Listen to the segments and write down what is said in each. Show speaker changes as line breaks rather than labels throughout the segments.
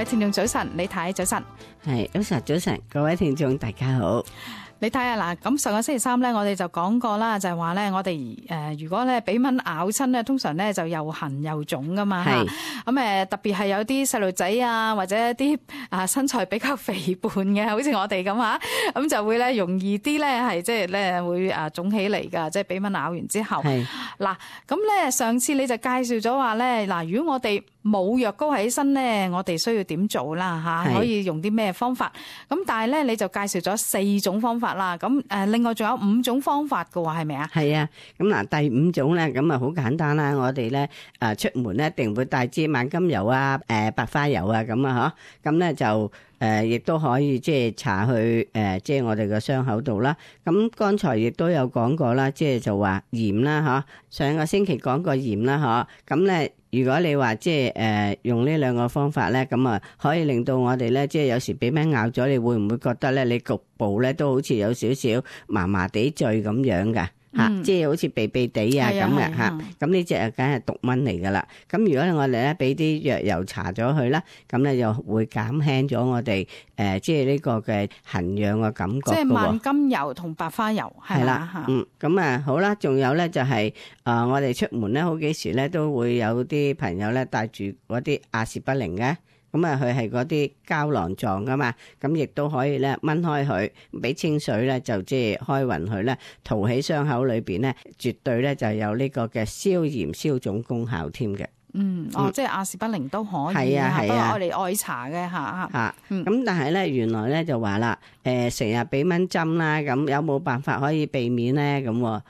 聽眾早晨，李太早晨。
係早晨，各位聽眾大家好。
你睇下嗱，咁上個星期三咧，我哋就講過啦，就係話咧，我哋如果咧俾蚊咬親咧，通常咧就又痕又腫噶嘛。係咁特別係有啲細路仔啊，或者一啲身材比較肥胖嘅，好似我哋咁嚇，咁就會咧容易啲咧係即係咧會腫起嚟㗎，即係俾蚊咬完之後。係嗱，咁咧上次你就介紹咗話咧，嗱，如果我哋冇藥膏喺身咧，我哋需要點做啦嚇？可以用啲咩方法？咁但係咧你就介紹咗4種方法啦。咁另外仲有5種方法㗎喎，係咪啊？係啊。
咁嗱，第5種咧，咁啊好簡單啦。我哋咧出門咧一定會帶支萬金油啊、白花油啊咁啊嗬。咁咧就亦都可以即係搽去即係我哋個傷口度啦。咁剛才亦都有講過啦，即係就話鹽啦嗬。上個星期講過鹽啦嗬。咁咧如果你話即係用呢2個方法咧，咁啊可以令到我哋咧即係有時俾蚊咬咗，你會唔會覺得咧你局部咧都好似有少少麻麻地醉咁樣噶？即係好似痹痹地啊咁嘅嚇，咁呢隻啊梗係毒蚊嚟噶啦。咁如果我哋咧俾啲藥油搽咗佢啦，咁咧就會減輕咗我哋即係呢個嘅痕癢嘅感覺。即係萬金油同白花油係啦。咁啊好啦，仲有咧就係我哋出門咧好幾時咧都會有啲朋友咧帶住嗰啲阿士不靈嘅。咁啊，佢係嗰啲膠囊狀噶嘛，咁亦都可以咧掹開佢，俾清水咧就即係開勻佢咧，塗喺傷口裏邊咧，絕對咧就有呢個嘅消炎消腫功效添嘅。即係阿士不靈都可以啊，不過我哋愛搽嘅嚇。咁但係咧，原來咧就話啦，成日俾蚊針啦，咁有冇辦法可以避免咧？咁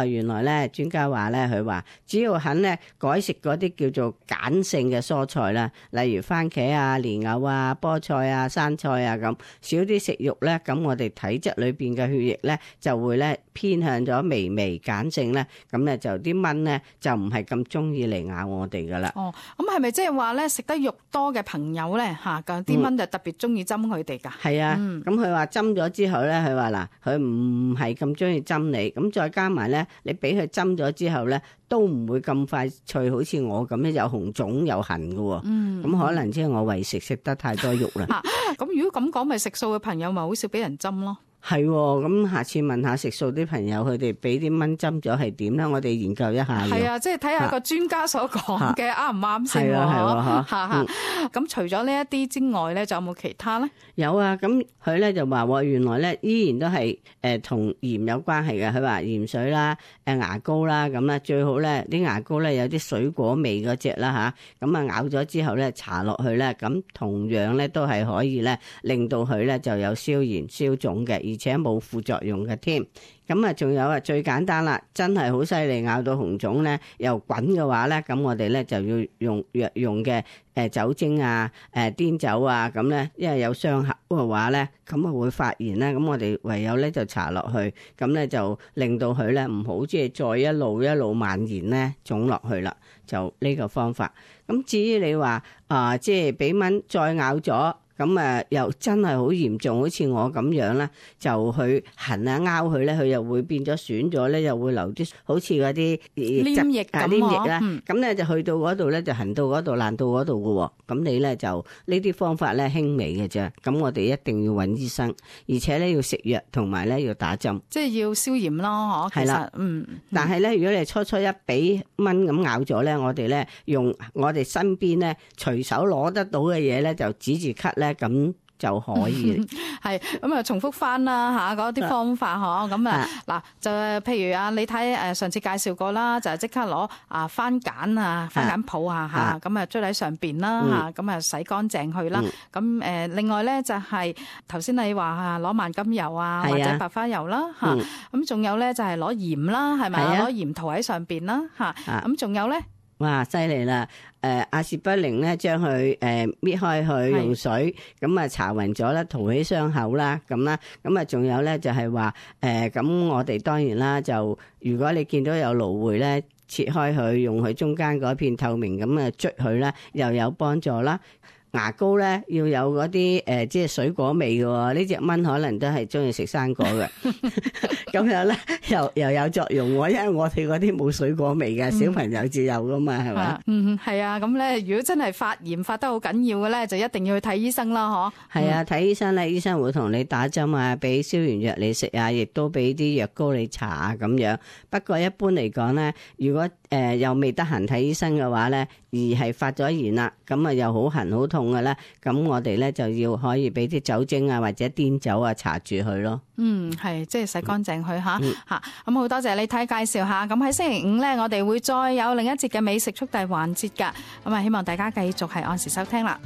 原來咧專家話咧，佢話只要肯咧改食嗰啲叫做鹼性嘅蔬菜啦，例如番茄啊、蓮藕啊、菠菜啊、生菜啊咁，少啲食肉咧，咁我哋體質裏邊嘅血液咧就會咧偏向咗微微鹼性咧，咁咧就啲蚊咧就唔係咁中意嚟咬我哋噶啦。
咁係咪即係話咧食得肉多嘅朋友咧嚇，啲蚊就特別中意針佢哋㗎？係啊，咁佢話針咗之後咧，佢話嗱，佢唔係咁中意針你，咁再加埋咧，你俾佢針咗之後咧，都唔會咁快脆，好似我咁樣有紅腫有痕㗎喎。咁可能即係我為食得太多肉啦。咁如果咁講，咪食素嘅朋友咪好少俾人針咯。
係，咁下次問下食素啲朋友，佢哋俾啲蚊針咗係點咧？我哋研究一下。係啊，
即係睇下個專家所講嘅啱唔啱先。係咁除咗呢一啲之外咧，仲有冇其他咧？
有啊，咁佢咧就話原來咧依然都係同鹽有關係嘅。佢話鹽水啦、牙膏啦，咁啦最好咧啲牙膏咧有啲水果味嗰隻啦嚇，咁啊咬咗之後咧搽落去咧，咁同樣咧都係可以咧令到佢咧就有消炎消腫嘅。而且冇副作用嘅添，咁啊仲有啊最簡單啦，真係好犀利，咬到紅腫咧又滾嘅話咧，咁我哋咧就要用藥用嘅酒精啊、碘酒啊咁咧，因為有傷口嘅話咧，咁啊會發炎咧，咁我哋唯有咧就搽落去，咁咧就令到佢咧唔好即係再一路蔓延咧腫落去啦，就呢個方法。咁至於你話即係俾蚊再咬咗。咁又真係好嚴重，好似我咁樣咧，就去痕啊拗佢咧，佢又會變咗損咗咧，又會留啲好似嗰啲
黏液咁
啦。咁咧就去到嗰度咧，就痕到嗰度爛到嗰度嘅喎。咁你咧就呢啲方法咧輕微嘅啫。咁我哋一定要揾醫生，而且咧要食藥同埋咧要打針，
即係要消炎咯。係啦，
但係咧，如果你初一俾蚊咁咬咗咧，我哋咧用我哋身邊咧隨手攞得到嘅嘢咧，就止住咳咧。咁就可以
係咁啊！重複翻啦嗰啲方法咁嗱就譬如你睇上次介紹過啦，就即刻攞番梘番梘泡咁啊捽喺上邊啦咁啊洗乾淨佢啦。咁另外咧就係頭先你話攞萬金油或者白花油啦咁仲有咧就係攞鹽啦，係咪攞鹽塗喺上邊啦咁仲有咧。
哇，犀利啦！阿士不靈咧，將佢搣開佢用水，咁啊搽勻咗啦，塗起傷口啦，咁啦，咁啊仲有咧就係話咁我哋當然啦，就如果你見到有蘆薈咧，切開佢，用佢中間嗰片透明咁啊捽佢啦，又有幫助啦。牙膏咧要有嗰啲即係水果味嘅喎，呢隻蚊可能都係中意食生果嘅，咁樣咧又有作用喎，因為我哋嗰啲冇水果味嘅，小朋友至有噶嘛，係咪？
係啊，咁咧如果真係發炎發得好緊要嘅咧，就一定要去睇醫生啦，嗬。係
啊，睇醫生咧，醫生會同你打針啊，俾消炎藥你食啊，亦都俾啲藥膏你搽啊咁樣。不過一般嚟講咧，如果又未得閒睇醫生嘅話咧，而係發咗炎啦，咁啊又好痕好痛嘅咧，咁我哋咧就要可以俾啲酒精啊或者碘酒啊搽住佢咯。
係即係洗乾淨佢吓。咁好多謝你睇介紹下。咁喺星期五咧，我哋會再有另一節嘅美食速遞環節噶。咁啊，希望大家繼續係按時收聽啦。